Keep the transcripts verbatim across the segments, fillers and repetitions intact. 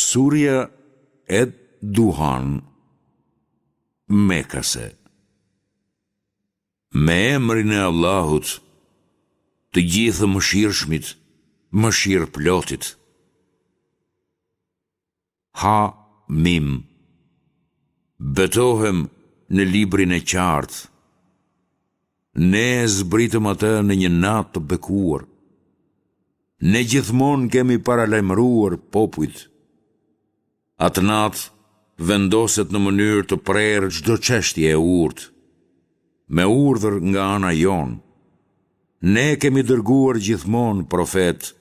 Surja Ed-Duhan, Mekase. Me emrin e Allahut, të gjithë mëshirshmit, mëshirëplotit. Ha Mim. Betohem në librin e qartë. Ne e zbritëm atë në një natë të bekuar. Ne gjithmonë kemi paralajmëruar popujt. Atë natë vendoset në mënyrë të prerë çdo çështje e urtë. Me urdhër nga ana jonë. Ne kemi dërguar gjithmonë profetë.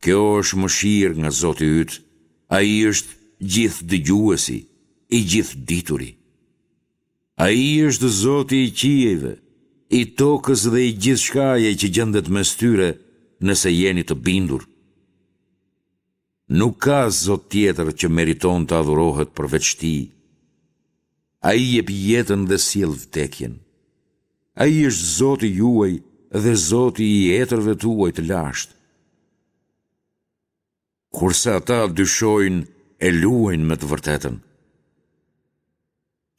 Kjo është mëshirë nga Zoti yt. Ai është gjithëdëgjuesi, i gjithëdituri. Ai është Zoti i qiejve, i tokës dhe i gjithçkaje që gjendet mes tyre, nëse jeni të bindur. Nuk ka Zot tjetër që meriton të adhurohet përveç Tij. Ai jep jetën dhe sjell vdekjen. Ai është Zoti juaj dhe Zoti i etërve tuaj të lashtë. Kurse ata dyshojnë e luajnë me të vërtetën.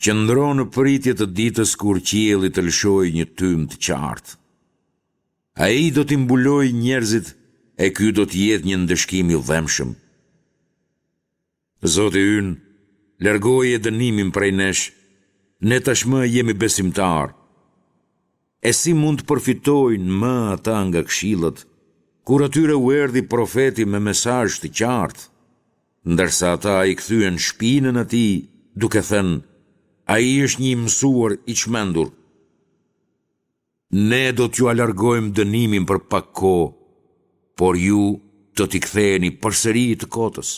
Qëndro në pritje të ditës kur qielli të lëshojë një tym të qartë. Ai do t'i mbulojë njerëzit e ky do të jetë një ndëshkim i dhembshëm. Zoti ynë, largoje dënimin prej nesh, ne tashmë jemi besimtarë. E si mund të përfitojnë më ata nga këshillat, kur atyre u erdhi profeti me mesazh të qartë, ndërsa ata i kthyen shpinën atij, duke thënë, ai është një i mësuar i çmendur. Ne do t'jua largojmë dënimin për pak kohë, por ju do t'i ktheheni përsëri të kotës.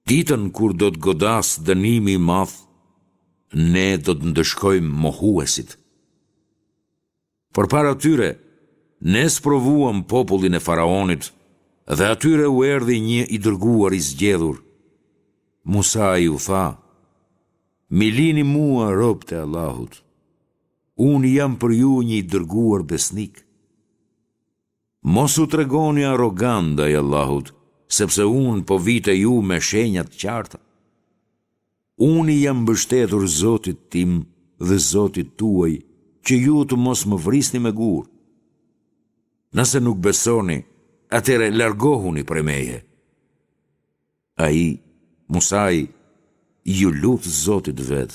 Ditën kur do të godasë dënimi i madh, ne do të ndëshkojmë mohuesit. Përpara tyre, ne sprovuam popullin e faraonit dhe atyre u erdhi një i dërguar i zgjedhur. Musai u tha, M'i lini mua robët e Allahut. Unë jam për ju një i dërguar besnik. Mos u tregoni arrogantë ndaj Allahut, sepse unë po vij te ju me shenja të qarta. Unë i jam mbështetur Zotit tim dhe Zotit tuaj, që ju të mos më vrisni me gurë. Nëse nuk besoni, atëherë largohuni prej meje. Ai, Musai, iu lut Zotit të vet.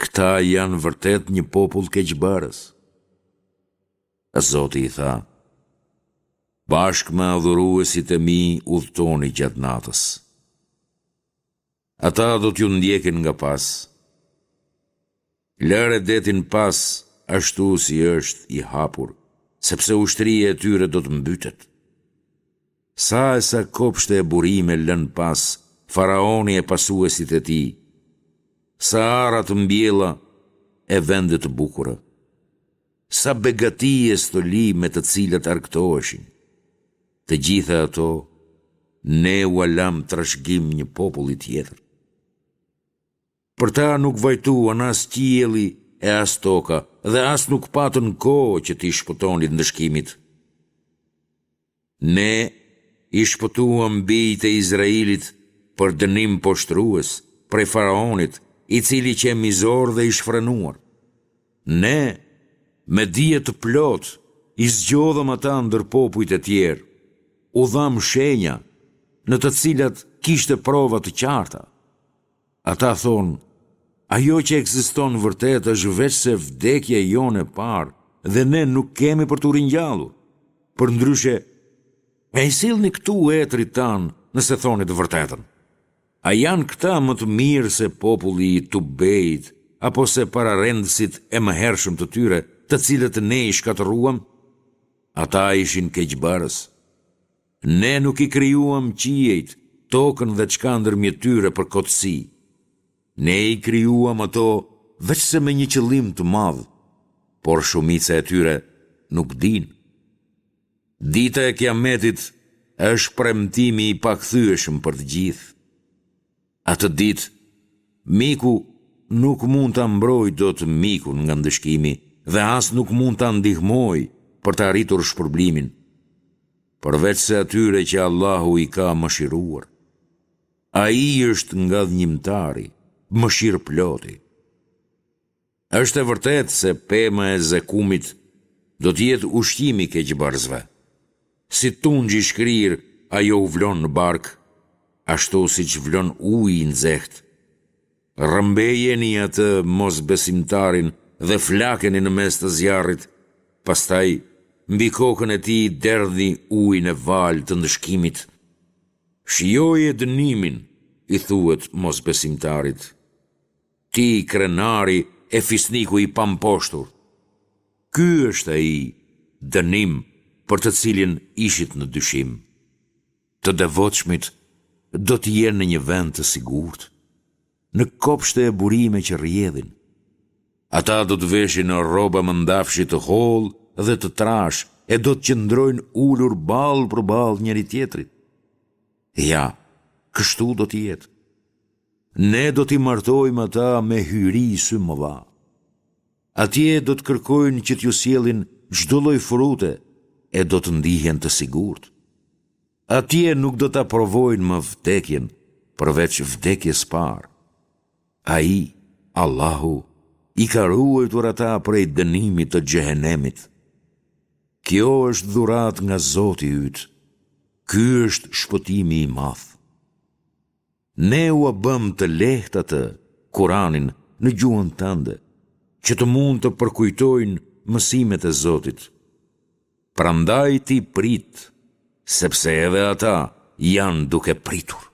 Këta janë vërtet një popull keqbërës. Zoti i tha, Bashkë me adhuruesit e mi udhëtoni gjatë natës. Ata do t'ju ndjekin nga pas. Lëre detin pas ashtu si është i hapur, sepse ushtria e tyre do të mbytet. Sa e sa kopshte e burime lënë pas faraoni e pasuesit e tij, sa ara të mbjella e vende të bukura. Sa begati e stoli me të cilat argëtoheshin. Të gjitha ato, ne ua lamë trashëgim një populli tjetër. Për ta nuk vajtuan as qielli e as toka dhe as nuk patën kohë që t'i shpëtonin ndëshkimit. Ne i shpëtuam bijtë e Izraelit për dënim poshtërues prej faraonit, i cili qe mizor dhe i shfrenuar. Ne, me dije të plotë, i zgjodhëm ata ndër popujt e tjerë, u dhamë shenja, në të cilat kishte prova të qarta. Ata thonë, ajo që ekziston vërtet është veçse vdekja jonë e parë dhe ne nuk kemi për t'u ringjallur. Përndryshe, e i sillni këtu etërit tanë nëse thoni të vërtetën. A janë këta më të mirë se populli i Tubbeit apo se pararendësit e mëhershëm të tyre, të cilët ne i shkatërruam? Ata ishin keqbërës. Ne nuk i krijuam qiejt, tokën dhe ç'ka ndërmjet tyre për kotësi. Ne i krijuam ato veçse me një qëllim të madh, por shumica e tyre nuk dinë. Dita e Kiametit është premtimi i pakthyeshëm për të gjithë. Atë ditë, miku nuk mund ta mbrojë dot mikun nga ndëshkimi dhe as nuk mund ta ndihmojë për të arritur shpërblimin. përveçse atyre që Allahu i ka mëshiruar. Ai është ngadhnjimtari, mëshirëploti. Është e vërtetë se pema e zekumit do të jetë ushqim i keqbërësve. Si tunxh i shkrirë ajo u vlon në bark, ashtu siç vlon uji i nxehtë. Rrëmbejeni atë mosbesimtarin dhe flakeni në mes të zjarrit, pastaj mbi kokën e tij derdhni ujin e valë të ndëshkimit. Shijoje dënimin, i thuhet mosbesimtarit. Ti krenari e fisniku i pamposhtur. Ky është ai dënim për të cilin ishit në dyshim. Të devotshmit do të jenë në një vend të sigurt, në kopshte e burime që rrjedhin. Ata do të veshin rroba mëndafshi të hollë dhe të trashë e do të qëndrojnë ulur ballë për ballë njëri-tjetrit. Ja, kështu do të jetë. Ne do t'i martojmë ata me hyri symëdha. Atje do të kërkojnë që t'ju sjellin çdo lloj frute e do të ndihen të sigurt. Atje nuk do ta provojnë më vdekjen, përveç vdekjes parë. Ai, Allahu, i ka ruajtur ata prej dënimit të xhehenemit. Kjo është dhuratë nga Zoti yt. Ky është shpëtimi i madh. Ne ua bëmë të lehtë atë, Kuranin, në gjuhën tënde, që të mund të përkujtojnë mësimet e Zotit. Prandaj ti prit, sepse edhe ata janë duke pritur.